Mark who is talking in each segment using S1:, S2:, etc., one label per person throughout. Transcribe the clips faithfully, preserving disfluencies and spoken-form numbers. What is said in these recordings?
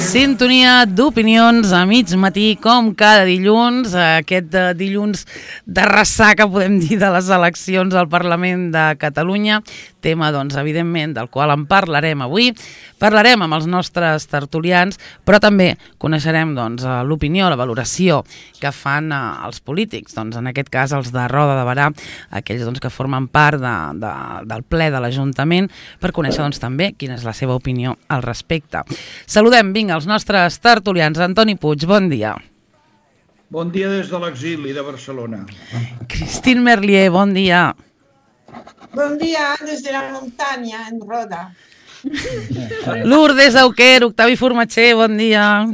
S1: Sintonia d'opinions a mig matí, com cada dilluns, aquest dilluns de ressaca, podem dir, de les eleccions al Parlament de Catalunya, tema, doncs, evidentment, del qual en parlarem avui. Parlarem amb els nostres tertulians, però també coneixerem, doncs, l'opinió, la valoració que fan els polítics, doncs, en aquest cas els de Roda de Berà, aquells, doncs, que formen part de, de, del ple de l'Ajuntament, per conèixer, doncs, també quina és la seva opinió al respecte. Saludem, vinga, els nostres tertulians. Antoni Puig, bon dia.
S2: Bon dia des de l'exili de Barcelona.
S1: Christine Merlier, bon dia.
S3: Bon dia des de la muntanya, en Roda.
S1: Lourdes Auquer, Octavi Formatger, bon dia.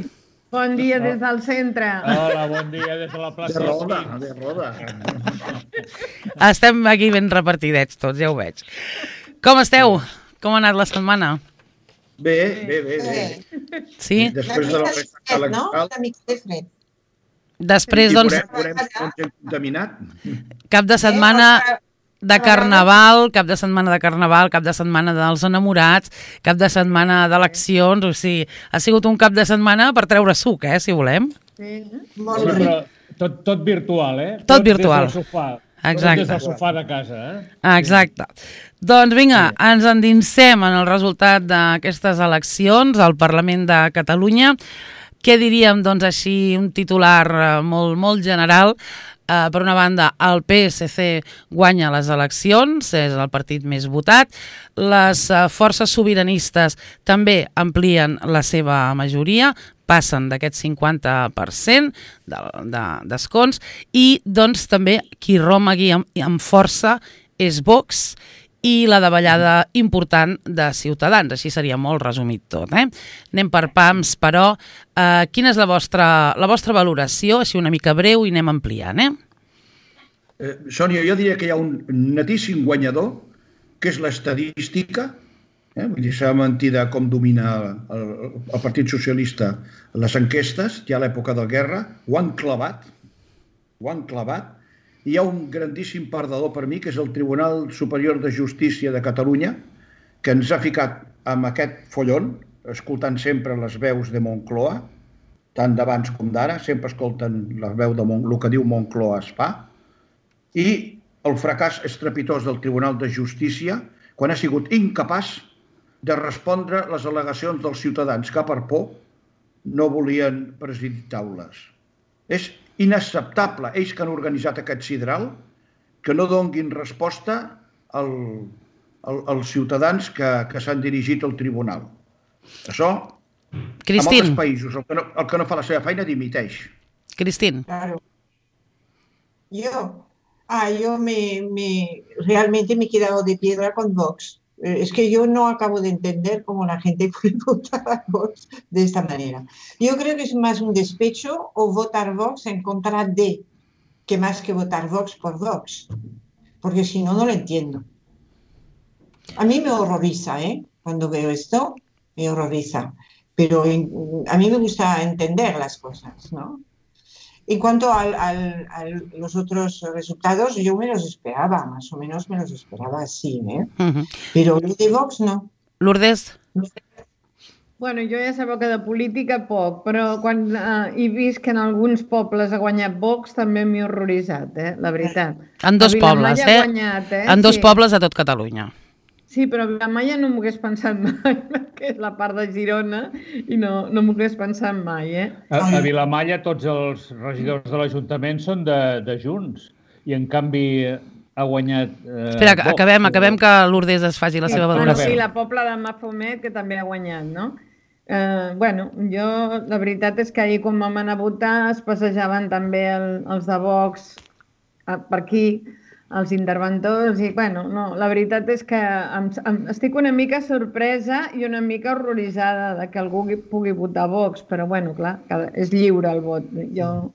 S4: Bon dia des del centre.
S5: Hola, bon dia des de la plaça.
S2: De Roda, de Roda.
S1: Estem aquí ben repartidets tots, ja ho veig. Com esteu? Com ha anat la setmana?
S2: Bé, bé, bé, bé.
S1: Sí?
S2: Després de la ressaca
S3: No?
S2: electoral...
S3: Una mica de fred.
S1: Després,
S2: I
S1: doncs,
S2: veurem, veurem si ens hem contaminat.
S1: cap de setmana de Carnaval, cap de setmana de Carnaval, cap de setmana dels enamorats, cap de setmana d'eleccions, o sigui, ha sigut un cap de setmana per treure suc, eh, si volem.
S4: Sí.
S3: Molt
S5: Sí,
S3: ric.
S5: però tot, tot virtual, eh?
S1: Tot virtual.
S5: Des del sofà.
S1: Exacte.
S5: Tot des del sofà de casa, eh?
S1: Exacte. Doncs vinga, ens endinsem en el resultat d'aquestes eleccions al Parlament de Catalunya. Què diríem, doncs, així, un titular eh, molt, molt general? Uh, per una banda, el P S C guanya les eleccions, és el partit més votat. Les uh, forces sobiranistes també amplien la seva majoria, passen d'aquest cinquanta per cent d'escons, de, de, i doncs també qui romagui amb, amb força és Vox i la davallada important de Ciutadans. Així seria molt resumit tot. Eh? Anem per pams, però eh, quina és la vostra, la vostra valoració, així una mica breu, i anem ampliant, eh?
S2: Eh, Sònia, jo diria que hi ha un netíssim guanyador, que és l'estadística. Eh? Vull dir, s'ha mentit de com domina el, el Partit Socialista les enquestes, ja a l'època de la guerra, ho han clavat, ho han clavat. Hi ha un grandíssim perdedor per mi, que és el Tribunal Superior de Justícia de Catalunya, que ens ha ficat amb aquest follon, escoltant sempre les veus de Moncloa, tant d'abans com d'ara, sempre escolten la veu de Mon... el que diu Moncloa es fa, i el fracàs estrepitós del Tribunal de Justícia, quan ha sigut incapaç de respondre les al·legacions dels ciutadans, que per por no volien presidir taules. És inacceptable, ells que han organitzat aquest sidral, que no donguin resposta al, al, als ciutadans que, que s'han dirigit al tribunal. Això,
S1: Christine.
S2: En altres països, el que, no, el que no fa la seva feina dimiteix.
S1: Christine.
S3: Claro. Yo, ah, yo me, me, realmente me he quedado de piedra con Vox. Es que yo no acabo de entender cómo la gente puede votar a Vox de esta manera. Yo creo que es más un despecho o votar Vox en contra de, que más que votar Vox por Vox. Porque si no, no lo entiendo. A mí me horroriza, ¿eh? Cuando veo esto, me horroriza. Pero en, a mí me gusta entender las cosas, ¿no? En cuanto a los otros resultados, yo me los esperaba, más o menos me los esperaba así, ¿eh? Uh-huh. Però el de Vox no.
S1: Lourdes?
S4: Bueno, jo ja sabeu que de política poc, però quan uh, he vist que en alguns pobles ha guanyat Vox també m'he horroritzat, eh? La veritat.
S1: En dos pobles, eh?
S4: Guanyat, eh?
S1: En dos
S4: sí.
S1: pobles a tot Catalunya.
S4: Sí, però a Vilamalla no m'ho hagués pensat mai, perquè és la part de Girona i no, no m'ho hagués pensat mai, eh?
S5: A, a Vilamalla tots els regidors de l'Ajuntament són de, de Junts i en canvi ha guanyat... Eh,
S1: Espera,
S5: Vox,
S1: acabem, acabem que Lourdes es faci la seva valoració.
S4: Sí, la Pobla de Mafumet, que també ha guanyat, no? Eh, bueno, jo, la veritat és que ahir quan vam anar a votar es passejaven també el, els de Vox per aquí, els interventors, i bueno, no, la veritat és que em, em, estic una mica sorpresa i una mica horroritzada de que algú pugui votar Vox, però bueno, clar, és lliure el vot. Jo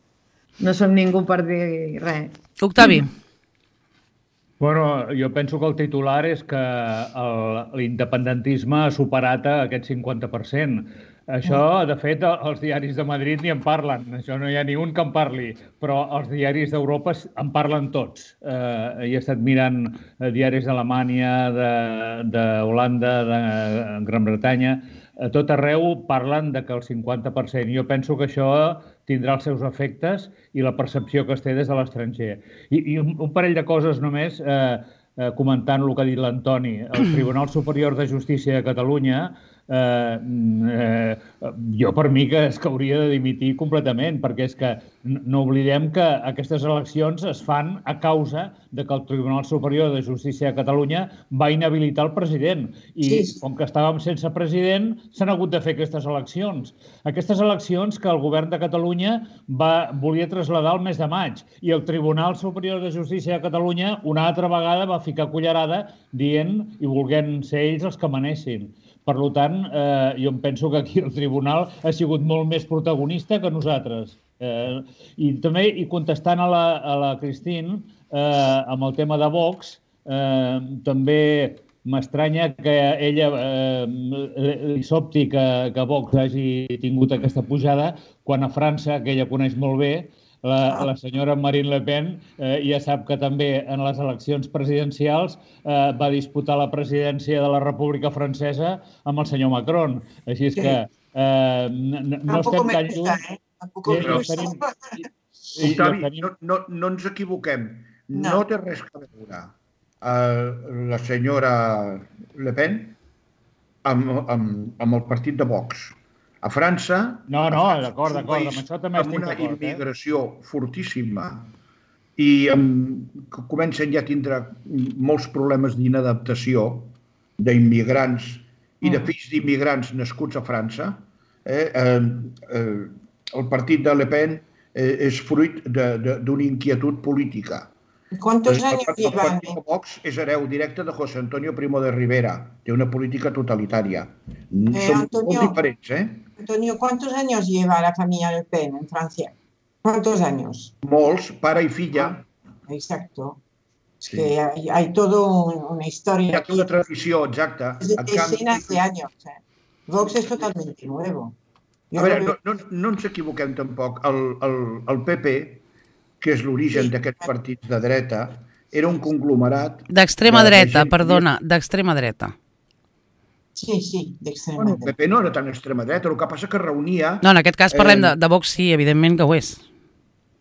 S4: no som ningú per dir res.
S1: Octavi.
S5: Bueno, jo penso que el titular és que l'independentisme ha superat aquest cinquanta per cent. Això, de fet, els diaris de Madrid ni en parlen. Això no hi ha ni un que en parli, però els diaris d'Europa en parlen tots. Eh, he estat mirant diaris d'Alemanya, d'Holanda, de, de Gran Bretanya. a tot arreu parlen de que el cinquanta per cent. Jo penso que això tindrà els seus efectes i la percepció que es té des de l'estranger. I, i un, un parell de coses només, eh, eh, comentant el que ha dit l'Antoni. El Tribunal Superior de Justícia de Catalunya, eh, eh, jo per mi que és que hauria de dimitir completament, perquè és que no oblidem que aquestes eleccions es fan a causa de que el Tribunal Superior de Justícia de Catalunya va inhabilitar el president. I sí, sí. com que estàvem sense president, s'han hagut de fer aquestes eleccions. Aquestes eleccions que el govern de Catalunya va, volia traslladar el mes de maig i el Tribunal Superior de Justícia de Catalunya una altra vegada va ficar cullerada dient i volent ser ells els que manessin. Per tant, eh, jo em penso que aquí el tribunal ha sigut molt més protagonista que nosaltres. Eh, I també, i contestant a la, a la Christine, eh, amb el tema de Vox, eh, també m'estranya que ella eh, li sobti que, que Vox hagi tingut aquesta pujada, quan a França, que ella coneix molt bé, La, la senyora Marine Le Pen eh, ja sap que també en les eleccions presidencials eh, va disputar la presidència de la República Francesa amb el senyor Macron. Així és que eh, no, no estem tan lluny.
S2: Octavi, no, no, no ens equivoquem. No, no té res a veure uh, la senyora Le Pen amb, amb, amb el partit de Vox. A França...
S5: No, no, d'acord, d'acord, amb això també estic d'acord.
S2: Amb una immigració fortíssima i amb, que comencen ja a tindre molts problemes d'inadaptació d'immigrants i de fills d'immigrants nascuts a França. Eh, eh, eh, el partit de Le Pen eh, és fruit d'una inquietud política.
S3: ¿Cuántos años llevan?
S2: El partit de Vox és hereu directe de José Antonio Primo de Rivera. Té una política totalitària.
S3: Eh,
S2: Són
S3: Antonio,
S2: molt diferents, eh?
S3: Antonio, ¿cuántos años lleva la familia Le Pen en Francia? ¿Cuántos años?
S2: Molts, pare i filla.
S3: Ah, exacto. Es sí. que hay, hay todo un, una historia.
S2: Hi ha tota una tradició, exacte.
S3: Es de decenas de años. Eh? Vox es totalmente nuevo.
S2: Yo a veure, no, no, no ens equivoquem tampoc. El, el, el P P, que és l'origen sí. d'aquests partits de dreta, era un conglomerat...
S1: D'extrema de dreta, gent... perdona, d'extrema dreta.
S3: Sí, sí, d'extrema
S2: bueno,
S3: dreta.
S2: El P P no era tan extrema dreta, el que passa que reunia...
S1: No, en aquest cas parlem eh... de, de Vox, sí, evidentment que ho és.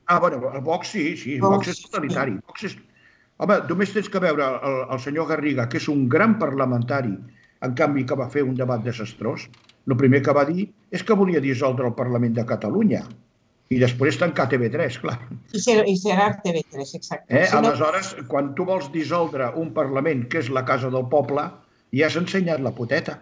S2: Ah, bueno, el Vox sí, sí, el Vox, Vox és totalitari. Sí. Vox és... Home, només tens que veure el, el senyor Garriga, que és un gran parlamentari, en canvi que va fer un debat desastrós. El primer que va dir és que volia dissoldre el Parlament de Catalunya. I després tancar T V tres, clar.
S3: I serà, i serà T V tres, exacte.
S2: Eh? Si Aleshores, no... quan tu vols dissoldre un Parlament, que és la casa del poble, ja has ensenyat la poteta.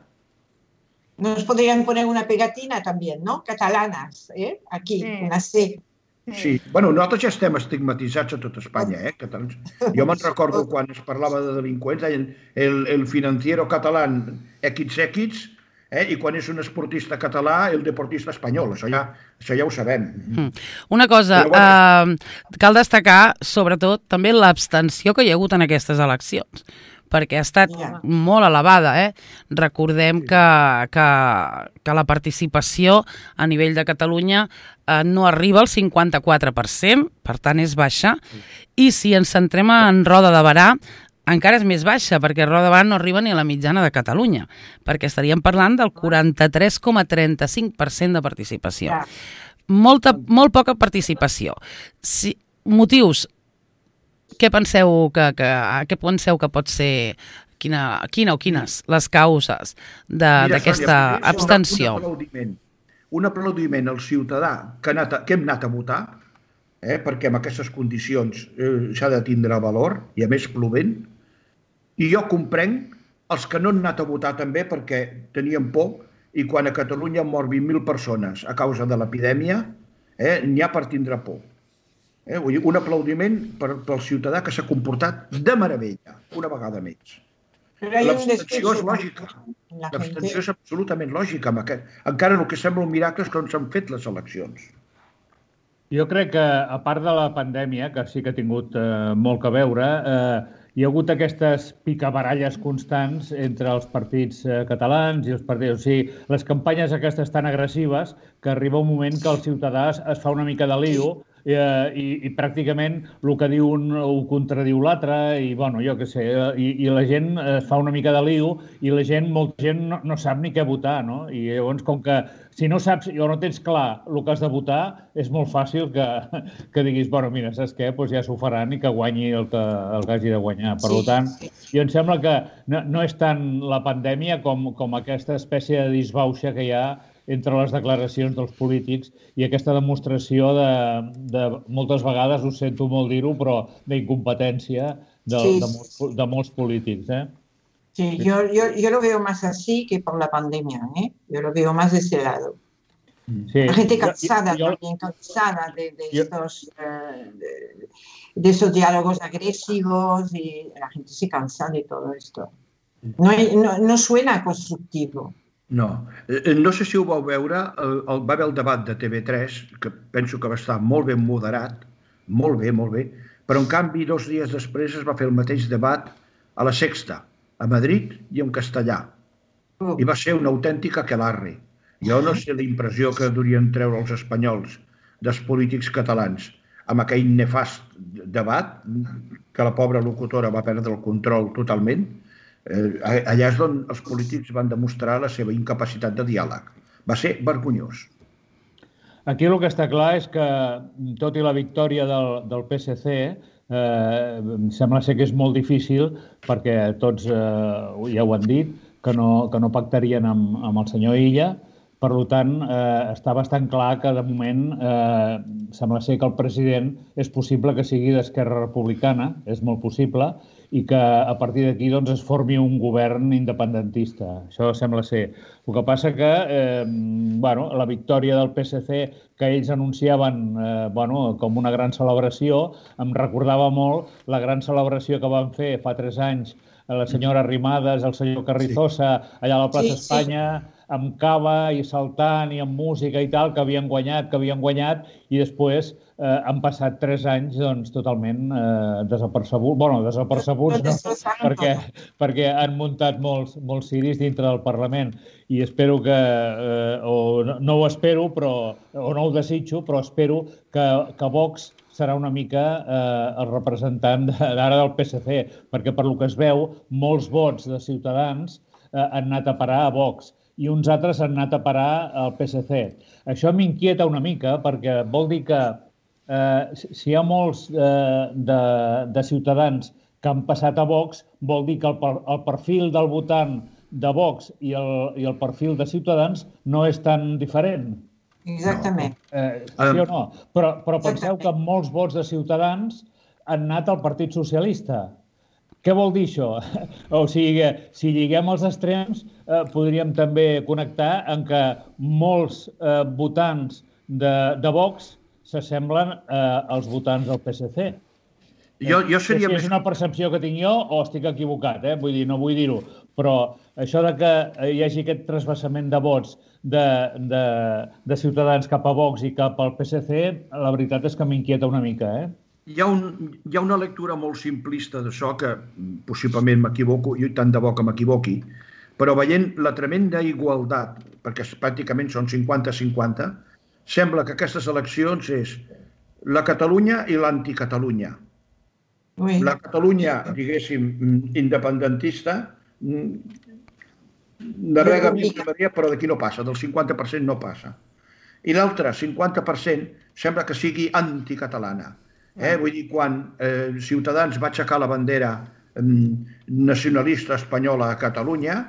S3: Nos podrían poner una pegatina también, ¿no? Catalanas, ¿eh? Aquí, sí. Una C.
S2: Sí, bueno, nosaltres ja estem estigmatitzats a tot Espanya, eh? Catalans. Jo me'n recordo quan es parlava de delinqüents, deien el, el financiero català equits equits, eh? I quan és un esportista català, el deportista espanyol. Això ja, això ja ho sabem.
S1: Mm. Una cosa, bueno, eh, cal destacar, sobretot, també l'abstenció que hi ha hagut en aquestes eleccions, perquè ha estat yeah. molt elevada. Eh? Recordem que, que, que la participació a nivell de Catalunya eh, no arriba al cinquanta-quatre per cent, per tant és baixa, i si ens centrem en Roda de Berà, encara és més baixa, perquè Roda de Berà no arriba ni a la mitjana de Catalunya, perquè estaríem parlant del quaranta-tres coma trenta-cinc per cent de participació. Yeah. Molta, molt poca participació. Si, motius... Què penseu que, que, què penseu que pot ser, quina, quina o quines les causes d'aquesta abstenció?
S2: Un aplaudiment, un aplaudiment al ciutadà que, anat a, que hem anat a votar, eh, perquè en aquestes condicions eh, s'ha de tindre valor, i a més plovent, i jo comprenc els que no han anat a votar també perquè tenien por, i quan a Catalunya mor vint mil persones a causa de l'epidèmia, eh, n'hi ha per tindre por. Eh, un aplaudiment per, pel ciutadà que s'ha comportat de meravella, una vegada més. L'abstenció és lògica. L'abstenció és absolutament lògica. Encara el que sembla un miracle és que no s'han fet les eleccions.
S5: Jo crec que, a part de la pandèmia, que sí que ha tingut eh, molt que veure, eh, hi ha hagut aquestes picabaralles constants entre els partits eh, catalans i els partits... O sigui, les campanyes aquestes tan agressives que arriba un moment que el ciutadà es fa una mica de lío i, i pràcticament el que diu un ho contradiu l'altre i, bueno, jo què sé, i, i la gent fa una mica de lío i la gent, molta gent no, no sap ni què votar, no? I llavors, com que si no saps o no tens clar el que has de votar, és molt fàcil que, que diguis, bueno, mira, saps què? Doncs ja s'ho faran i que guanyi el que, el que hagi de guanyar. Per tant, jo em sembla que no, no és tant la pandèmia com, com aquesta espècie de disbauxa que hi ha entre les declaracions dels polítics i aquesta demostració de, de moltes vegades, ho sento molt dir-ho, però d'incompetència de, sí. de, molts, de molts polítics. ¿eh?
S3: Sí, yo, yo, yo lo veo más así que por la pandemia, ¿eh? Yo lo veo más de ese lado. Sí. La gente cansada, yo, yo, también cansada de, de, yo, estos, uh, de, de esos diálogos agresivos y la gente se cansa de todo esto. No, no, no suena constructivo.
S2: No. No sé si ho vau veure, el, el, va haver el debat de T V tres, que penso que va estar molt ben moderat, molt bé, molt bé, però en canvi dos dies després es va fer el mateix debat a la Sexta, a Madrid i en castellà. I va ser una autèntica aquelarre. Jo no sé la impressió que durien treure els espanyols dels polítics catalans amb aquell nefast debat, que la pobra locutora va perdre el control totalment. Allà és on els polítics van demostrar la seva incapacitat de diàleg. Va ser vergonyós.
S5: Aquí el que està clar és que, tot i la victòria del, del P S C, eh, sembla ser que és molt difícil, perquè tots eh, ja ho han dit, que no, que no pactarien amb, amb el senyor Illa. Per tant, eh, està bastant clar que, de moment, eh, sembla ser que el president és possible que sigui d'Esquerra Republicana, és molt possible, i que a partir d'aquí doncs, es formi un govern independentista. Això sembla ser. El que passa que eh, bueno, la victòria del P S C que ells anunciaven eh, bueno, com una gran celebració, em recordava molt la gran celebració que van fer fa tres anys la senyora Arrimadas, el senyor Carrizosa, allà a la plaça sí, Espanya, sí. amb cava i saltant i amb música i tal, que havien guanyat, que havien guanyat, i després eh, han passat tres anys doncs, totalment eh, desapercebuts, bueno, desapercebuts, no? perquè, perquè han muntat molts, molts ciris dintre del Parlament. I espero que, eh, o no, no ho espero, però, o no ho desitjo, però espero que, que Vox serà una mica eh, el representant d'ara del P S C, perquè per lo que es veu, molts vots de Ciutadans eh, han anat a parar a Vox i uns altres han anat a parar al P S C. Això m'inquieta una mica perquè vol dir que eh, si hi ha molts eh, de, de ciutadans que han passat a Vox, vol dir que el, el perfil del votant de Vox i el, i el perfil de Ciutadans no és tan diferent.
S3: Exactament.
S5: No. Eh, sí o no? Però, però penseu que molts vots de Ciutadans han anat al Partit Socialista. Què vol dir això? O sigui, si lliguem els extrems, eh, podríem també connectar en que molts eh, votants de, de Vox s'assemblen eh, als votants del P S C.
S2: Jo, jo seria
S5: si és una percepció que tinc jo o estic equivocat, eh? Vull dir, no vull dir-ho, però això de que hi hagi aquest trasbassament de vots de, de, de Ciutadans cap a Vox i cap al P S C, la veritat és que m'inquieta una mica, eh?
S2: Hi ha, un, hi ha una lectura molt simplista d'això, que possiblement m'equivoco, i tant de bo que m'equivoqui, però veient la tremenda igualtat, perquè pràcticament són cinquanta cinquanta, sembla que aquestes eleccions és la Catalunya i l'anticatalunya. Oui. La Catalunya, diguéssim, independentista, navega més de Maria, però d'aquí no passa, del cinquanta per cent no passa. I l'altre, cinquanta per cent, sembla que sigui anticatalana. Eh? Vull dir, quan eh, Ciutadans va aixecar la bandera eh, nacionalista espanyola a Catalunya,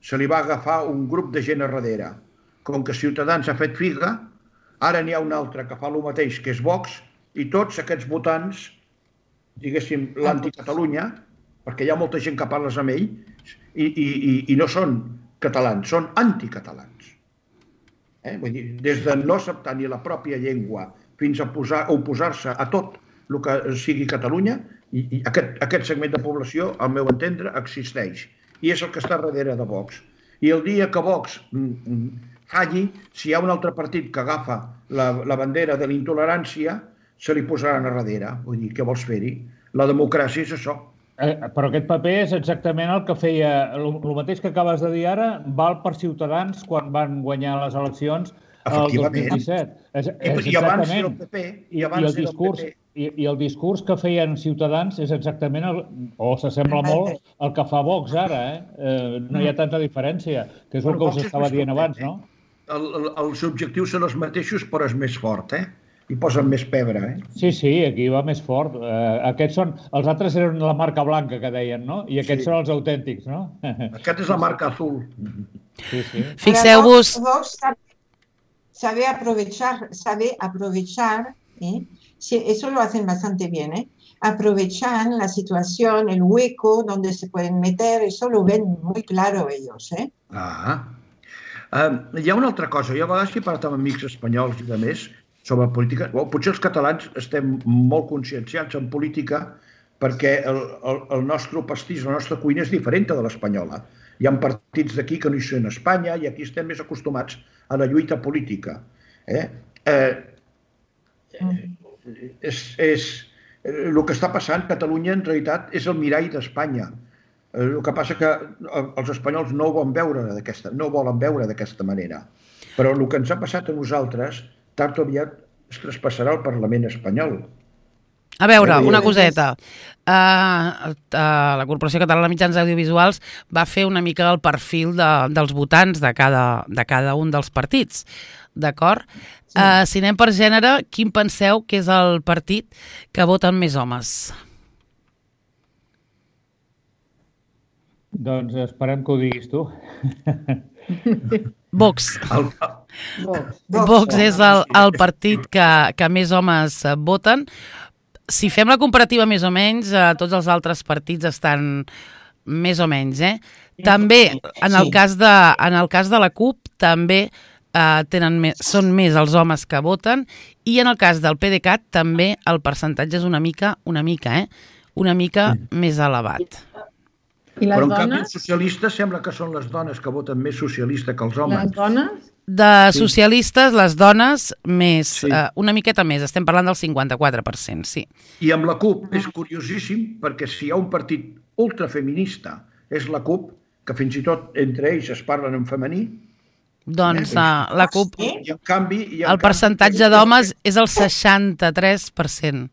S2: se li va agafar un grup de gent a darrere. Com que Ciutadans ha fet figa, ara n'hi ha un altre que fa el mateix, que és Vox, i tots aquests votants, diguéssim, l'anticatalunya, perquè hi ha molta gent que parles amb ell, i, i, i, i no són catalans, són anticatalans. Eh? Vull dir, des de no acceptar ni la pròpia llengua fins a posar, oposar-se a tot el que sigui Catalunya, i, i aquest, aquest segment de població, al meu entendre, existeix. I és el que està darrere de Vox. I el dia que Vox mm, falli, si hi ha un altre partit que agafa la, la bandera de la intolerància, se li posaran a darrere. Vull dir, què vols fer-hi? La democràcia és això.
S5: Eh, però aquest paper és exactament el que feia... El, el mateix que acabes de dir ara val per Ciutadans quan van guanyar les eleccions el dos mil disset. És, és
S2: I abans era el P P.
S5: I, i, el discurs, i, I el discurs que feien Ciutadans és exactament, el, o s'assembla molt, al que fa Vox ara. Eh? Eh, no hi ha tanta diferència, que és el que us estava dient abans, no?
S2: El, el, els objectius són els mateixos, però és més fort, eh? I posen més pebre, eh?
S5: Sí, sí, aquí va més fort. Uh, aquests són... Els altres eren la marca blanca, que deien, no? I aquests sí. són els autèntics, no?
S2: Aquest és la marca azul.
S5: Sí, sí.
S1: Fixeu-vos...
S3: Vox sabe aprovechar, sabe aprovechar, ¿eh? Sí, eso lo hacen bastante bien, ¿eh? Aprovechan la situación, el hueco donde se pueden meter, eso lo ven muy claro ellos, ¿eh?
S2: Ah. Uh, hi ha una altra cosa. Jo a vegades he parlat amb amics espanyols i de més sobre política. Well, potser els catalans estem molt conscienciats en política perquè el, el, el nostre pastís, la nostra cuina és diferent de l'espanyola. Hi ha partits d'aquí que no hi són a Espanya i aquí estem més acostumats a la lluita política. Eh? Eh, és, és, el que està passant a Catalunya en realitat és el mirall d'Espanya. El que passa que els espanyols no ho volen veure d'aquesta, no ho volen veure d'aquesta manera. Però el que ens ha passat a nosaltres, tard o aviat es traspassarà al Parlament espanyol.
S1: A veure, una coseta. Uh, uh, la Corporació Catalana de Mitjans Audiovisuals va fer una mica el perfil de, dels votants de cada, de cada un dels partits. D'acord? Sí. Uh, si anem per gènere, quin penseu que és el partit que voten més homes?
S5: Doncs esperem que ho diguis tu.
S1: Vox.
S2: El...
S1: Vox. Vox és el, el partit que, que més homes voten. Si fem la comparativa més o menys, eh, tots els altres partits estan més o menys, eh? També, en el cas de, en el cas de la CUP, també eh, tenen més, són més els homes que voten, i en el cas del PDeCAT també el percentatge és una mica, una mica, eh? Una mica mm. més elevat.
S4: I les
S2: Però en
S4: dones?
S2: canvi els socialistes sembla que són les dones que voten més socialista que els homes.
S4: Les dones?
S1: De socialistes, sí. Les dones més, sí. eh, una miqueta més, estem parlant del cinquanta-quatre per cent, sí.
S2: I amb la CUP és curiosíssim perquè si hi ha un partit ultrafeminista és la CUP, que fins i tot entre ells es parlen en femení.
S1: Doncs eh, la CUP,
S2: I en canvi, i en
S1: el
S2: canvi,
S1: percentatge d'homes és el seixanta-tres per cent.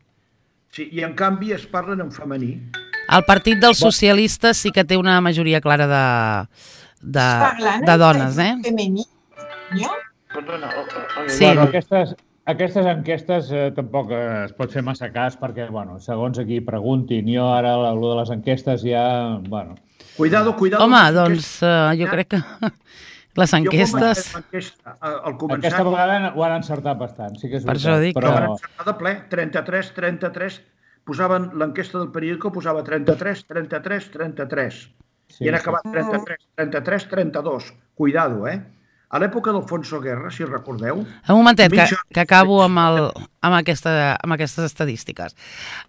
S2: Sí, i en canvi es parlen en femení.
S1: El partit dels socialistes sí que té una majoria clara de, de, de dones, eh?
S3: Femení? Jo?
S1: Sí.
S5: Bueno, aquestes, aquestes enquestes eh, tampoc eh, es pot fer massa cas perquè, bueno, segons aquí preguntin, jo ara el de les enquestes ja, bueno...
S2: Cuidado, cuidado.
S1: Home, doncs uh, jo crec que les enquestes...
S2: Jo enquesta, al començar...
S5: Aquesta vegada ho han encertat bastant, sí que és
S1: per això dic,
S2: però... Ho han encertat de ple, trenta-tres, trenta-tres... Posaven l'enquesta del periòdico, posava trenta-tres, trenta-tres, trenta-tres. Sí, I han acabat trenta-tres, trenta-tres, trenta-dos. Cuidado, eh? A l'època d'Alfonso Guerra, si recordeu...
S1: Un momentet, que, que acabo amb, el, amb, aquesta, amb aquestes estadístiques.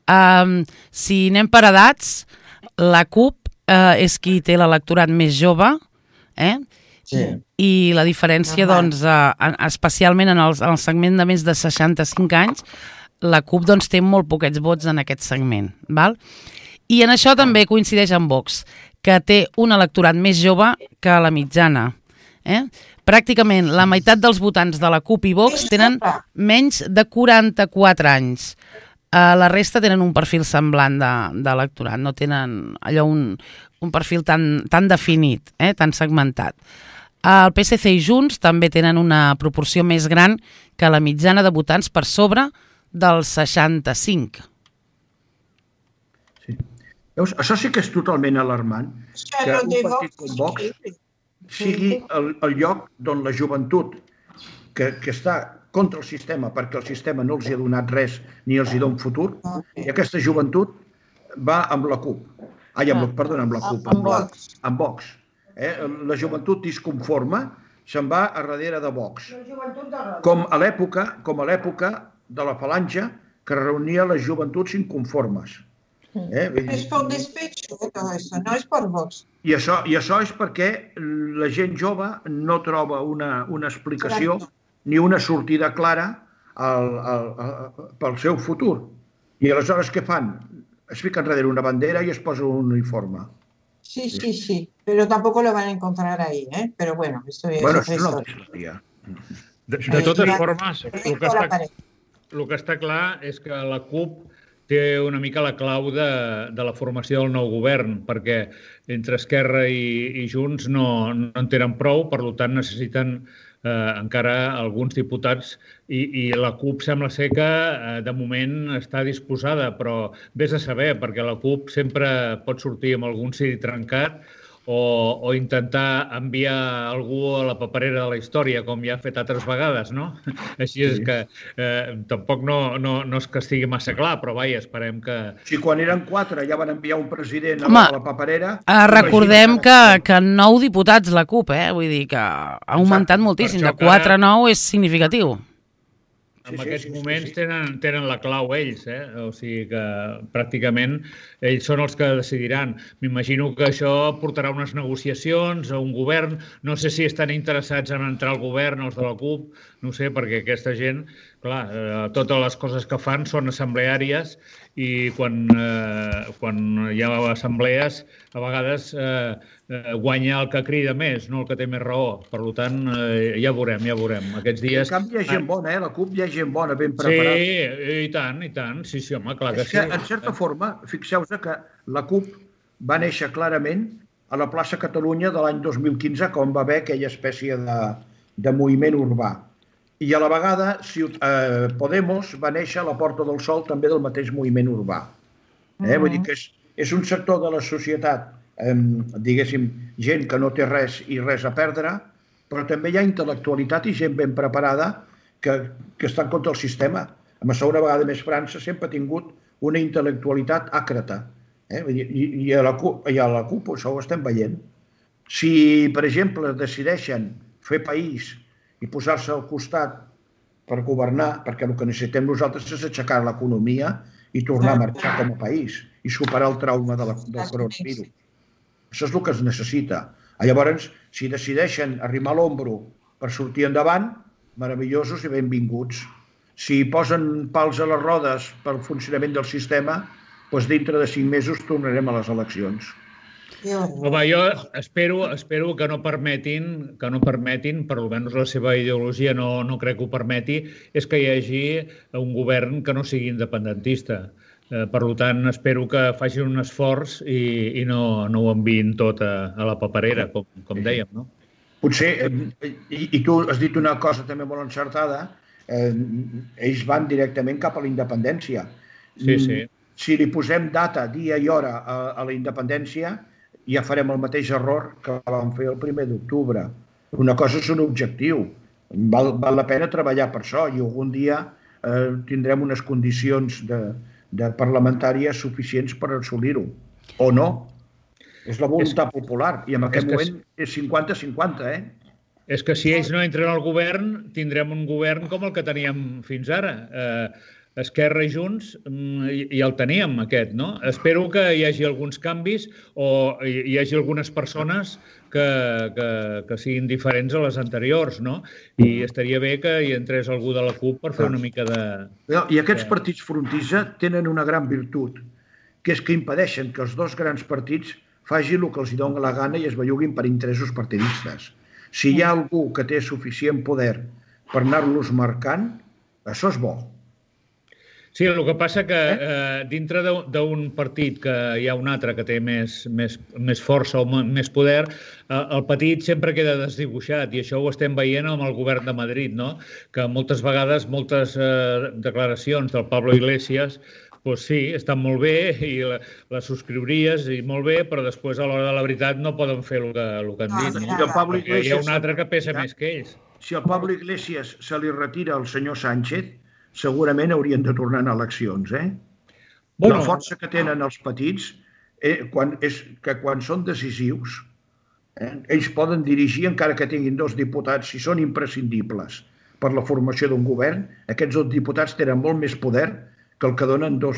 S1: Um, si anem per edats, la CUP uh, és qui té l'electorat més jove, eh? Sí. I la diferència, doncs, uh, especialment en el, en el segment de més de seixanta-cinc anys, la CUP doncs, té molt poquets vots en aquest segment. Val? I en això també coincideix amb Vox, que té un electorat més jove que la mitjana. Eh? Pràcticament la meitat dels votants de la CUP i Vox tenen menys de quaranta-quatre anys. Uh, la resta tenen un perfil semblant de, d'electorat, no tenen allò un, un perfil tan, tan definit, eh? Tan segmentat. El P S C i Junts també tenen una proporció més gran que la mitjana de votants per sobre del seixanta-cinc.
S2: Sí. Veus, això sí que és totalment alarmant, que un partit com Vox sigui el, el lloc d'on la joventut que, que està contra el sistema, perquè el sistema no els hi ha donat res ni els hi dona futur, i aquesta joventut va amb la CUP. Ai, amb, perdona, amb la CUP, amb, la, amb Vox. Eh? La joventut disconforme se'n va a darrere de Vox. Com a l'època, com a l'època de la falange que reunia les joventuts inconformes. Eh?
S3: És per despecho, tot això, no és per Vox.
S2: I això, I això és perquè la gent jove no troba una, una explicació ni una sortida clara al, al, al, pel seu futur. I aleshores què fan? es fica enrere una bandera i es posa un uniforme.
S3: Sí, sí, sí, pero tampoco lo van a encontrar ahí, ¿eh? Pero bueno, esto es
S2: bueno,
S3: otra
S2: és una altra
S3: historia.
S2: història.
S5: De, de totes
S3: Ahí,
S5: formes, el que,
S3: la
S5: està,
S3: pared.
S5: el que està clar és que la CUP té una mica la clau de, de la formació del nou govern, perquè entre Esquerra i, i Junts no, no en tenen prou, per tant necessiten eh, encara alguns diputats i, i la CUP sembla ser que eh, de moment està disposada, però vés a saber, perquè la CUP sempre pot sortir amb algun sí trencat o, o intentar enviar algú a la paperera de la història, com ja ha fet altres vegades, no? Així és
S2: Sí.
S5: que eh, tampoc no, no, no és que estigui massa clar, però vaja, esperem que...
S2: Si quan eren quatre ja van enviar un president a
S1: Home,
S2: la, a la paperera...
S1: Uh, recordem
S2: imagina't
S1: que,
S2: ara.
S1: que nou diputats la CUP, eh? Vull dir que ha augmentat
S2: Exacte.
S1: moltíssim.
S5: Per
S1: De
S5: això que
S1: quatre a
S5: ara-
S1: nou és significatiu.
S5: En
S2: Sí, sí,
S5: aquests
S2: sí, sí,
S5: moments
S2: sí.
S5: Tenen, tenen la clau ells, eh? O sigui que pràcticament ells són els que decidiran. M'imagino que això portarà unes negociacions a un govern. No sé si estan interessats en entrar al govern, els de la CUP, no ho sé, perquè aquesta gent, clar, eh, totes les coses que fan són assembleàries i quan, eh, quan hi ha assemblees a vegades eh, eh, guanya el que crida més, no el que té més raó. Per tant, eh, ja veurem, ja veurem. Aquests
S2: En
S5: dies...
S2: canvi, hi ha gent bona, eh? La CUP hi ha gent bona, ben
S5: Sí,
S2: preparada.
S5: i tant, i tant. Sí, sí, home, clar que
S2: És
S5: sí.
S2: que, en certa forma, fixeu-vos que la CUP va néixer clarament a la plaça Catalunya de l'any dos mil quinze, quan va haver aquella espècie de, de moviment urbà. I a la vegada eh, Podemos va néixer a la Porta del Sol també del mateix moviment urbà. Eh? Vull dir que és, és un sector de la societat, eh, diguéssim, gent que no té res i res a perdre, però també hi ha intel·lectualitat i gent ben preparada que, que està en contra del sistema. A la segona vegada més França sempre ha tingut una intel·lectualitat àcrata. Eh? I, i, a la CUP, I a la CUP això ho estem veient. Si, per exemple, decideixen fer país i posar-se al costat per governar, perquè el que necessitem nosaltres és aixecar l'economia i tornar a marxar com a país i superar el trauma de la, del coronavirus. Això és el que es necessita. Llavors, si decideixen arrimar l'ombro per sortir endavant, meravellosos i benvinguts. Si posen pals a les rodes pel funcionament del sistema, doncs dintre de cinc mesos tornarem a les eleccions.
S5: Home, jo espero, espero que no permetin, que no permetin, per almenys la seva ideologia no, no crec que ho permeti, és que hi hagi un govern que no sigui independentista. Eh, per tant, espero que facin un esforç i, i no, no ho enviïn tot a, a la paperera, com, com dèiem, no?
S2: Potser, eh, i, i tu has dit una cosa també molt encertada, eh, ells van directament cap a la independència.
S5: Sí, sí.
S2: Si li posem data, dia i hora a, a la independència, ja farem el mateix error que vam fer el primer d'octubre. Una cosa és un objectiu. Val, val la pena treballar per això i algun dia eh, tindrem unes condicions de, de parlamentàries suficients per assolir-ho. O no. És la voluntat popular i en aquest moment és cinquanta cinquanta, eh?
S5: És que si ells no entren al govern, tindrem un govern com el que teníem fins ara. Eh, Esquerra i Junts, i el teníem, aquest, no? Espero que hi hagi alguns canvis o hi hagi algunes persones que, que, que siguin diferents a les anteriors, no? I estaria bé que hi entrés algú de la CUP per fer una mica de...
S2: I aquests partits frontissa tenen una gran virtut, que és que impedeixen que els dos grans partits facin el que els dona la gana i es belluguin per interessos partidistes. Si hi ha algú que té suficient poder per anar-los marcant, això és bo.
S5: Sí, el que passa que eh, dintre d'un partit que hi ha un altre que té més, més, més força o més poder, eh, el petit sempre queda desdibuixat i això ho estem veient amb el govern de Madrid, no? Que moltes vegades moltes eh, declaracions del Pablo Iglesias doncs sí, estan molt bé i les subscriuries i molt bé, però després a l'hora de la veritat no poden fer el que, el que han dit. No?
S2: Si el Pablo
S5: Perquè hi ha
S2: Iglesias,
S5: un altre que pesa més que ells.
S2: Si al Pablo Iglesias se li retira el senyor Sánchez, segurament haurien de tornar a eleccions, eh?
S5: Bueno,
S2: la força que tenen els petits eh, quan, és que quan són decisius, eh, ells poden dirigir, encara que tinguin dos diputats, si són imprescindibles per la formació d'un govern, aquests dos diputats tenen molt més poder que el que donen dos,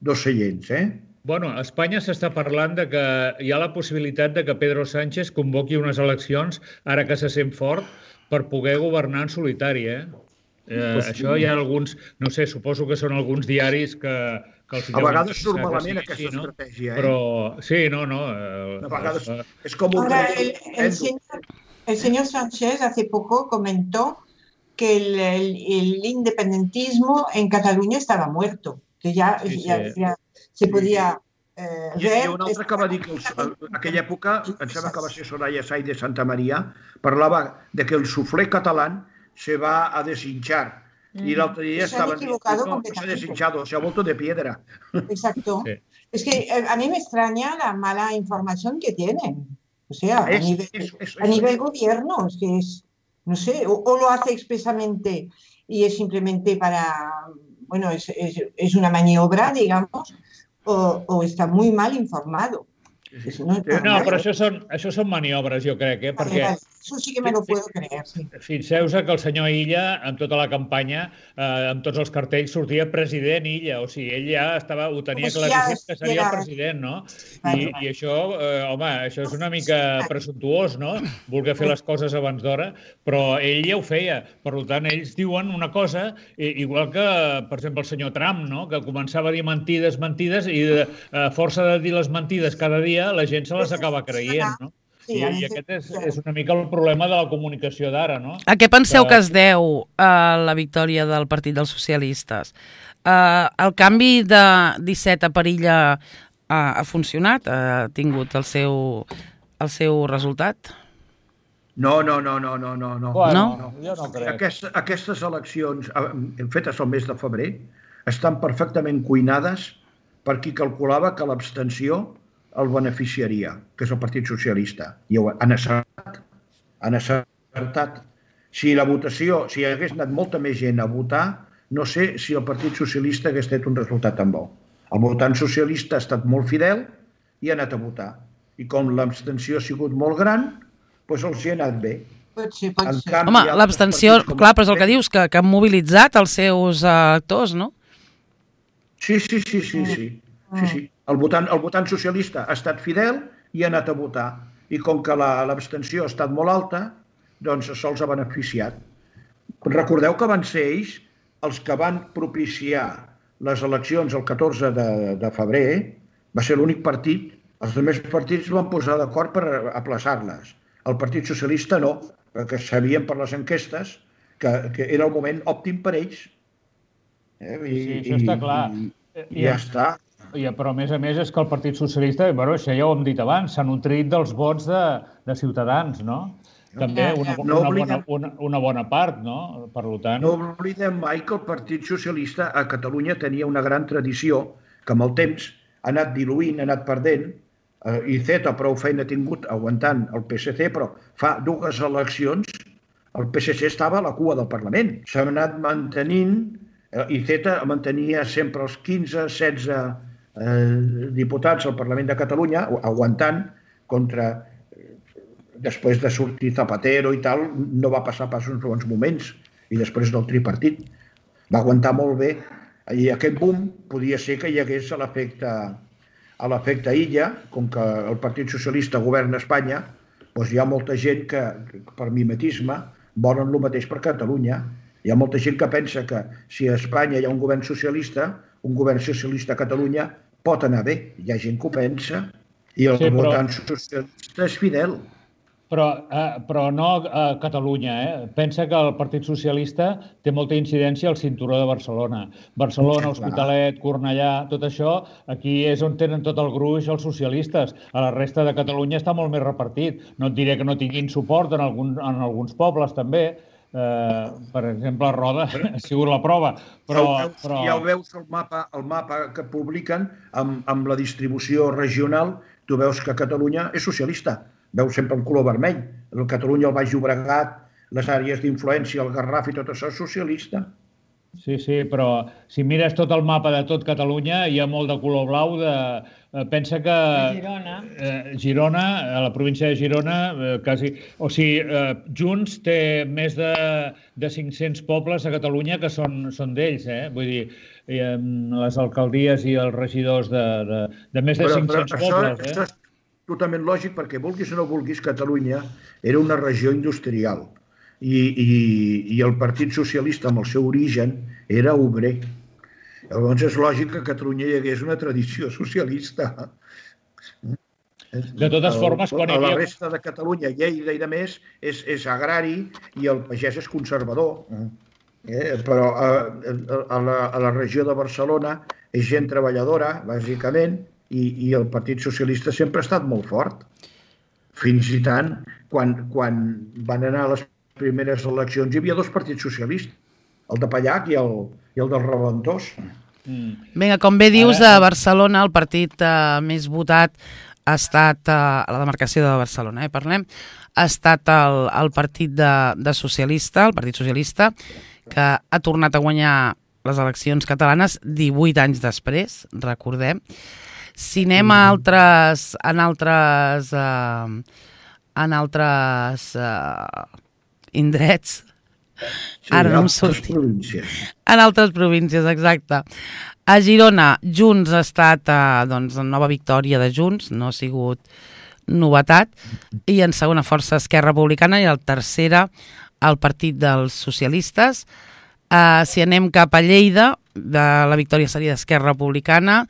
S2: dos seients, eh?
S5: Bueno, a Espanya s'està parlant de que hi ha la possibilitat de que Pedro Sánchez convoqui unes eleccions, ara que se sent fort, per poder governar en solitari, eh? Eh, això hi ha alguns, no sé, suposo que són alguns diaris que,
S2: A vegades surt malament aquesta estratègia, ¿eh?
S5: Pero sí, no, no.
S2: A vegades es como un...
S3: Ahora, el, el, señor, el señor Sánchez hace poco comentó que el, el, el independentismo en Cataluña estaba muerto, que ya, sí, ya, sí. ya se podía... Eh,
S2: I, I un altre que va dir que en aquella època, em sembla que va ser Soraya Sáenz de Santa María, parlava de que el suflé catalán se va a deshinchar. Mm. Y el otro día
S3: se estaban diciendo, no,
S2: se ha deshinchado, se ha vuelto de piedra.
S3: Exacto. Sí. Es que a mí me extraña la mala información que tienen. O sea, es, a nivel, es, es, a nivel gobierno, es que es, no sé, o, o lo hace expresamente y es simplemente para, bueno, es, es, es una maniobra, digamos, o, o està molt mal informado.
S5: No, no però això són, això són maniobres, jo crec, eh? Perquè...
S3: Això sí que me lo puedo creer, sí.
S5: Fixeu-se que el senyor Illa, en tota la campanya, eh, amb tots els cartells, sortia president Illa. O sigui, ell ja estava, ho tenia claríssim que seria el president, no? I, i això, eh, home, això és una mica presumptuós, no? Voler fer les coses abans d'hora, però ell ja ho feia. Per tant, ells diuen una cosa, igual que, per exemple, el senyor Trump, no? Que començava a dir mentides, mentides, i a força de dir les mentides cada dia la gent se les acaba creient, no? I, i aquest és, és una mica el problema de la comunicació d'ara, no?
S1: A què penseu que es deu a la victòria del Partit dels Socialistes? Uh, el canvi de disset a Perilla ha, ha funcionat? Ha tingut el seu, el seu resultat?
S2: No, no, no, no, no, no. no.
S5: Bueno, no? Jo no crec.
S2: Aquest, aquestes eleccions, fetes al mes de febrer, estan perfectament cuinades per qui calculava que l'abstenció el beneficiaria, que és el Partit Socialista. I han acertat. Han acertat. Si la votació, si hagués anat molta més gent a votar, no sé si el Partit Socialista hagués fet un resultat tan bo. El votant socialista ha estat molt fidel i ha anat a votar. I com l'abstenció ha sigut molt gran, doncs els hi ha anat bé.
S3: Pot ser, pot ser.
S1: Home, l'abstenció, clar, però és el que dius, que, que han mobilitzat els seus actors, no?
S2: Sí, sí, sí, sí, sí. sí, sí. El votant, el votant socialista ha estat fidel i ha anat a votar. I com que l'abstenció ha estat molt alta, doncs se'ls ha beneficiat. Recordeu que van ser ells els que van propiciar les eleccions el catorze de, de febrer, va ser l'únic partit, els altres partits van posar d'acord per aplaçar-les. El Partit Socialista no, perquè sabien per les enquestes que, que era el moment òptim per ells.
S5: Eh? I, sí, això està clar.
S2: I, i ja està.
S5: Ja, però a més a més és que el Partit Socialista, bueno, això ja ho hem dit abans, s'ha nutrit dels vots de, de Ciutadans, no? També una, una, no bona, una, una bona part, no? Per tant...
S2: No oblidem mai que el Partit Socialista a Catalunya tenia una gran tradició que amb el temps ha anat diluint, ha anat perdent, eh, i Z prou feina ha tingut aguantant el P S C, però fa dues eleccions el P S C estava a la cua del Parlament. S'ha anat mantenint, eh, i Z mantenia sempre els quinze, setze Eh, diputats al Parlament de Catalunya aguantant contra, després de sortir Zapatero i tal, no va passar pas uns bons moments, i després del tripartit va aguantar molt bé, i aquest boom podia ser que hi hagués a l'efecte a l'efecte Illa, com que el Partit Socialista governa Espanya, doncs hi ha molta gent que, per mimetisme, volen el mateix per Catalunya. Hi ha molta gent que pensa que si a Espanya hi ha un govern socialista, un govern socialista a Catalunya pot anar bé. Hi ha gent que ho pensa i el sí, però... votant socialista és fidel.
S5: Però, eh, però no a Catalunya. Eh? Pensa que el Partit Socialista té molta incidència al cinturó de Barcelona. Barcelona, Hospitalet, Cornellà, tot això, aquí és on tenen tot el gruix els socialistes. A la resta de Catalunya està molt més repartit. No et diré que no tinguin suport en, algun, en alguns pobles, també. Uh, per exemple, a Roda ha sigut la prova, però...
S2: Ja ho veus, però... ja ho veus el mapa, el mapa que publiquen amb, amb la distribució regional, tu veus que Catalunya és socialista, veus sempre el color vermell. El Catalunya, el Baix Llobregat, les àrees d'influència, el Garraf i tot això és socialista.
S5: Sí, sí, però si mires tot el mapa de tot Catalunya, hi ha molt de color blau de... Pensa que...
S4: Girona.
S5: Eh, Girona, a la província de Girona, eh, quasi... O sigui, eh, Junts té més de, de cinc-cents pobles a Catalunya que són, són d'ells, eh? Vull dir, eh, les alcaldies i els regidors de, de, de més de però, cinc-cents però pobles, això, eh?
S2: Això és totalment lògic, perquè vulguis o no vulguis, Catalunya era una regió industrial. I, i, i el Partit Socialista, amb el seu origen, era obrer. Llavors és lògic que a Catalunya hi hagués una tradició socialista.
S5: De totes formes, quan hi
S2: havia...
S5: havia...
S2: La resta de Catalunya, Lleida i de més, és, és agrari i el pagès és conservador. Eh? Però a, a, la, a la regió de Barcelona és gent treballadora, bàsicament, i, i el Partit Socialista sempre ha estat molt fort. Fins i tant, quan, quan van anar a les primeres eleccions hi havia dos partits socialistes, el de Pallac i el, i el dels Reventós.
S1: Mm. Vinga, com bé dius, a Barcelona el partit eh, més votat ha estat, eh, a la demarcació de Barcelona, eh, parlem, ha estat el, el partit de, de socialista, el Partit Socialista, que ha tornat a guanyar les eleccions catalanes divuit anys després, recordem. Si anem a altres, en altres, eh, en altres eh, indrets,
S2: sí,
S1: ara no em surti. En altres províncies, exacte. A Girona, Junts ha estat eh, doncs, una nova victòria de Junts, no ha sigut novetat, i en segona força Esquerra Republicana i el tercera el Partit dels Socialistes. Uh, si anem cap a Lleida, de la victòria seria d'Esquerra Republicana,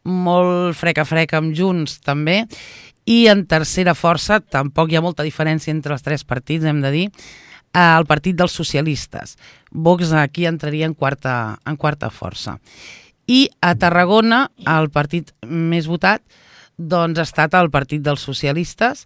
S1: molt frec a frec amb Junts també, i en tercera força, tampoc hi ha molta diferència entre els tres partits, hem de dir, uh, el Partit dels Socialistes. Vox aquí entraria en quarta, en quarta força. I a Tarragona, el partit més votat, doncs ha estat el Partit dels Socialistes,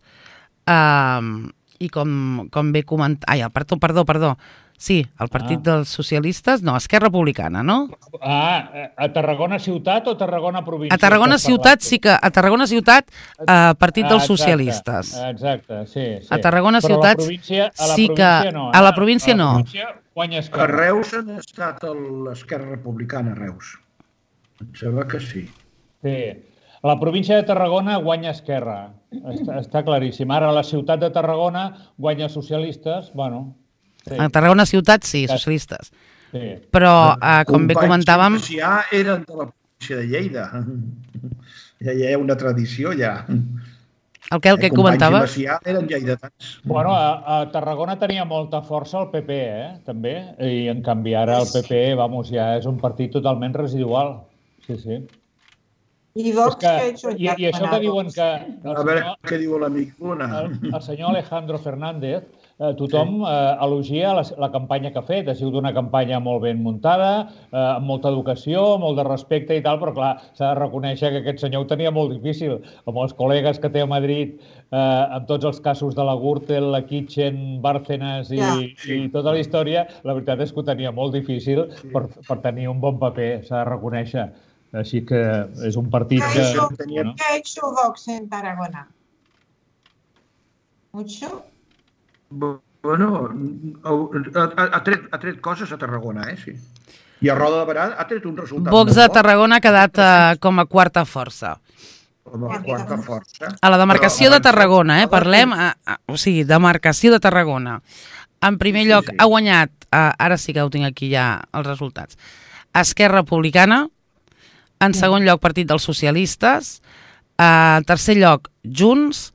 S1: uh, i com, com bé comentat... Ai, perdó, perdó, perdó. Sí, el Partit ah. dels Socialistes, no, Esquerra Republicana, no?
S5: Ah, a Tarragona Ciutat o Tarragona Província?
S1: A Tarragona Ciutat sí que... A Tarragona Ciutat, eh, Partit dels ah, exacte, Socialistes.
S5: Exacte, sí, sí.
S1: A Tarragona
S5: Però
S1: Ciutat
S5: a la província, a la
S1: sí que...
S5: No, eh?
S1: A la província no.
S5: A la província guanya Esquerra.
S2: A Reus han estat l'Esquerra Republicana, a Reus. Em sembla que sí.
S5: Sí. A la província de Tarragona guanya Esquerra. Està, està claríssim. Ara a la ciutat de Tarragona guanya socialistes, bueno...
S1: Sí. A Tarragona Ciutat, sí, socialistes.
S5: Sí.
S1: Però, eh, com bé comentàvem...
S2: Els ja eren de la província de Lleida. Ja hi ha una tradició, ja.
S1: El que, el que comentaves?
S2: Companys i Macià eren lleidatans.
S5: Bueno, a, a Tarragona tenia molta força el P P, eh, també. I, en canvi, ara el P P, vamos, ja és un partit totalment residual. Sí, sí.
S3: I Vox,
S5: que,
S3: que ets
S5: i, I això que diuen que...
S2: A veure què diu l'amic Luna.
S5: El, el senyor Alejandro Fernández, eh, tothom eh, elogia la, la campanya que ha fet. Ha sigut una campanya molt ben muntada, eh, amb molta educació, molt de respecte i tal, però clar, s'ha de reconèixer que aquest senyor ho tenia molt difícil. Amb els col·legues que té a Madrid, eh, amb tots els casos de la Gürtel, la Kitchen, Bárcenas i, ja. i tota la història, la veritat és que ho tenia molt difícil per, per tenir un bon paper, s'ha de reconèixer. Així que és un partit que...
S3: ¿Qué ha hecho Vox en Tarragona? ¿Mucho?
S2: Bueno, ha, ha, tret, ha tret coses a Tarragona, eh, sí. I a Roda de Barà ha tret un resultat.
S1: Vox a Tarragona ha quedat uh, com a quarta força.
S2: Com a quarta força.
S1: A la demarcació Però, de Tarragona, eh, parlem, a, a, o sigui, demarcació de Tarragona. En primer lloc sí, sí. ha guanyat, uh, ara sí que ho tinc aquí ja els resultats, Esquerra Republicana. En segon lloc, Partit dels Socialistes. En tercer lloc, Junts.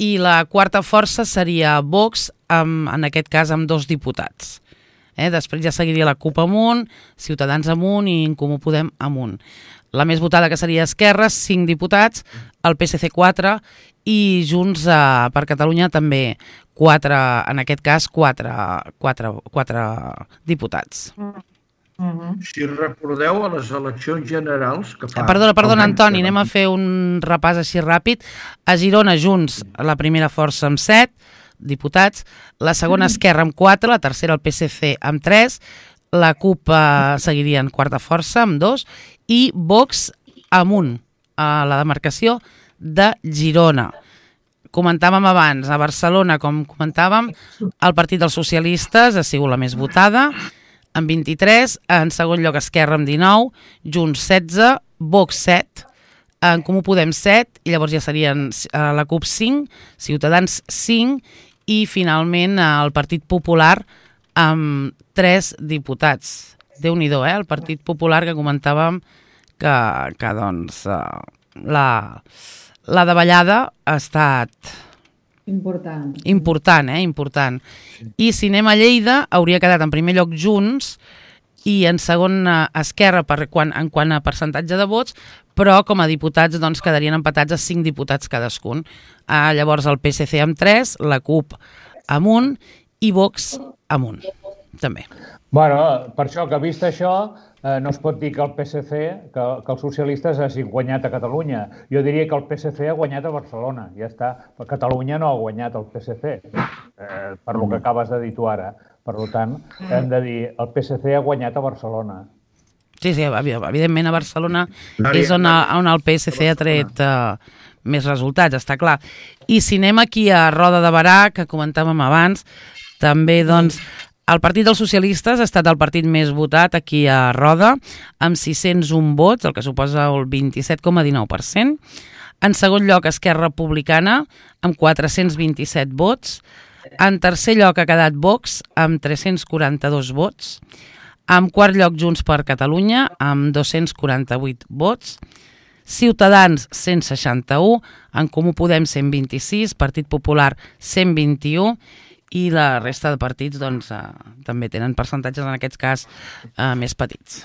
S1: I la quarta força seria Vox, amb, en aquest cas amb dos diputats. Eh? Després ja seguiria la CUP amunt, Ciutadans amunt i En Comú Podem amunt. La més votada que seria Esquerra, cinc diputats, el P S C quatre i Junts eh, per Catalunya també quatre, en aquest cas quatre, quatre, quatre diputats.
S2: Uh-huh. Si recordeu, a les eleccions generals que fa...
S1: Perdona, perdona, Antoni, anem a fer un repàs així ràpid. A Girona, Junts, la primera força amb set diputats, la segona Esquerra amb quatre, la tercera el P S C amb tres, la CUP eh, seguiria en quarta força amb dos, i Vox amb un, a la demarcació de Girona. Comentàvem abans, a Barcelona, com comentàvem, el Partit dels Socialistes ha sigut la més votada, amb vint-i-tres, en segon lloc Esquerra amb dinou, Junts setze, Vox set, En Comú Podem set, i llavors ja serien eh, la CUP cinc, Ciutadans cinc, i finalment eh, el Partit Popular amb tres diputats. Déu-n'hi-do, eh? El Partit Popular que comentàvem que, que doncs, eh, la, la davallada ha estat...
S4: Important.
S1: Important, eh? Important. I si anem a Lleida, hauria quedat en primer lloc Junts i en segon Esquerra per quan, en quant a percentatge de vots, però com a diputats doncs, quedarien empatats a cinc diputats cadascun. Uh, llavors el P S C amb tres, la CUP amb un i Vox amb un, també.
S5: Bueno, per això que vist això, eh, no es pot dir que el P S C, que, que els socialistes hagin guanyat a Catalunya. Jo diria que el P S C ha guanyat a Barcelona, ja està. Però Catalunya no ha guanyat el P S C, eh, per lo que acabes de dir tu ara. Per tant, hem de dir el P S C ha guanyat a Barcelona.
S1: Sí, sí, evidentment a Barcelona és on, on el P S C ha tret uh, més resultats, està clar. I si anem aquí a Roda de Berà, que comentàvem abans, també doncs el Partit dels Socialistes ha estat el partit més votat aquí a Roda, amb sis-cents un vots, el que suposa el vint-i-set coma dinou per cent. En segon lloc, Esquerra Republicana, amb quatre-cents vint-i-set vots. En tercer lloc ha quedat Vox, amb tres-cents quaranta-dos vots. En quart lloc, Junts per Catalunya, amb dos-cents quaranta-vuit vots. Ciutadans, cent seixanta-u. En Comú Podem, cent vint-i-sis. Partit Popular, cent vint-i-u. I la resta de partits doncs, eh, també tenen percentatges, en aquest cas, eh, més petits.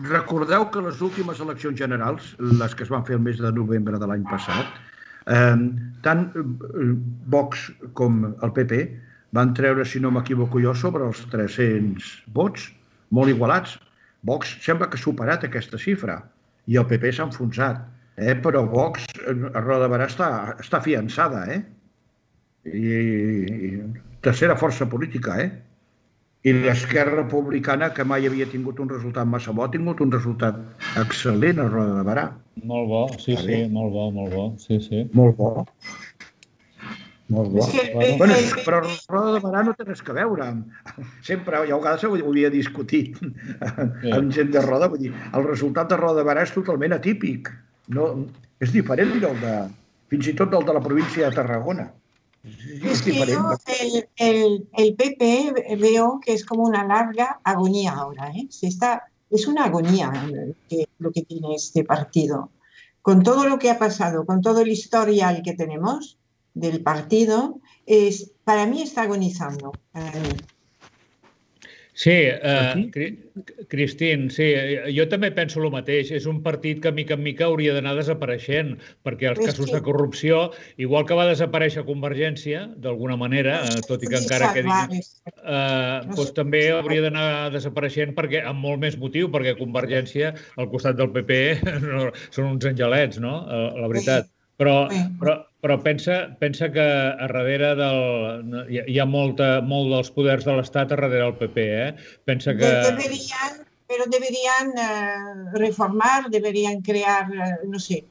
S2: Recordeu que les últimes eleccions generals, les que es van fer el mes de novembre de l'any passat, eh, tant Vox com el P P van treure, si no m'equivoco jo, sobre els tres-cents vots, molt igualats. Vox sembla que ha superat aquesta xifra i el P P s'ha enfonsat, eh? Però Vox a Roda de Berà està, està afiançada, eh? I, i tercera força política, eh? I l'Esquerra Republicana, que mai havia tingut un resultat massa bo, ha tingut un resultat excel·lent a Roda de Berà.
S5: Molt bo, sí, sí, molt bo, molt bo, sí, sí.
S2: Molt bo. Molt bo. Bueno, però Roda de Berà no té res que veure. Sempre, jo a vegades ho havia discutit amb gent de Roda, vull dir, el resultat de Roda de Berà és totalment atípic. No, és diferent del de, fins i tot del de la província de Tarragona.
S3: Es que yo el, el, el P P veo que es como una larga agonía ahora, ¿eh? Se está, es una agonía que, lo que tiene este partido. Con todo lo que ha pasado, con todo el historial que tenemos del partido, es, para mí está agonizando. Para mí.
S5: Sí, uh, Cristín, sí, jo també penso el mateix. És un partit que mica en mica hauria d'anar desapareixent, perquè els casos de corrupció, igual que va desaparèixer Convergència, d'alguna manera, tot i que encara que diguin, uh, doncs també hauria d'anar desapareixent perquè amb molt més motiu, perquè Convergència, al costat del P P, no, són uns angelets, no? Uh, la veritat. Però, però, però pensa, pensa que a darrere del, hi ha molta, molt dels poders de l'Estat a darrere del P P, eh? Pensa que...
S3: Deberían, pero deberían uh, reformar, deberían crear, uh, no sé,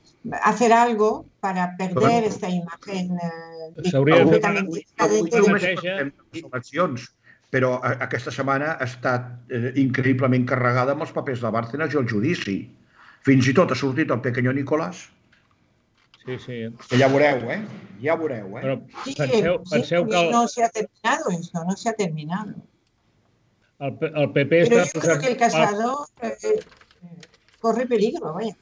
S3: hacer algo para perder esta imagen uh, completamente...
S2: Avui només parlem de eleccions, però aquesta setmana ha estat eh, increïblement carregada amb els papers de Bárcenas i el judici. Fins i tot ha sortit el pequeño Nicolás.
S5: Sí, sí.
S2: Que ja veureu, eh? Ja veureu, eh?
S5: Però penseu, penseu que... El...
S3: No se ha terminado eso, no se ha terminado.
S5: El, el P P
S3: Pero
S5: està
S3: yo creo que el Casado eh, corre peligro, vaya.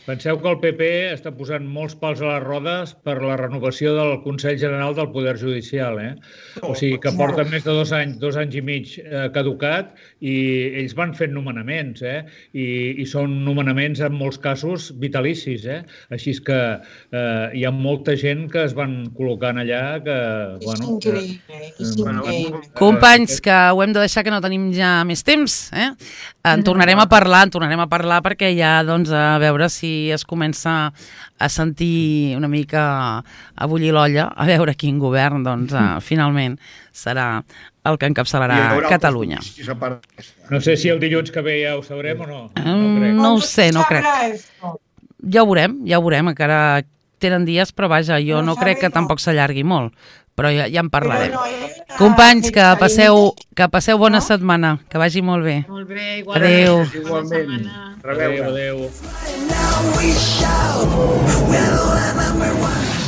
S5: Penseu que el P P està posant molts pals a les rodes per la renovació del Consell General del Poder Judicial, eh? O sigui, que porten més de dos anys, dos anys i mig eh, caducat i ells van fent nomenaments, eh? I, i són nomenaments en molts casos vitalicis, eh? Així que eh, hi ha molta gent que es van col·locant allà que...
S3: És
S5: bueno,
S3: increïble, és increïble.
S1: Companys, que ho hem de deixar, que no tenim ja més temps, eh? En tornarem a parlar, en tornarem a parlar perquè ja, doncs, a veure si es comença a sentir una mica a bullir l'olla, a veure quin govern, doncs, uh, finalment serà el que encapçalarà Catalunya.
S5: No sé si el dilluns que ve ja ho sabrem o no.
S1: No, crec. no ho sé, no crec. Ja ho veurem, ja ho veurem, encara tenen dies, però vaja, jo no crec que tampoc s'allargui molt, però ja, ja en parlarem. Companys, que passeu, que passeu bona setmana, que vagi molt bé.
S4: Molt bé, igualment.
S1: Adéu.
S2: Igualment.
S5: Adéu, adéu.
S6: Now we shout, we'll remember one.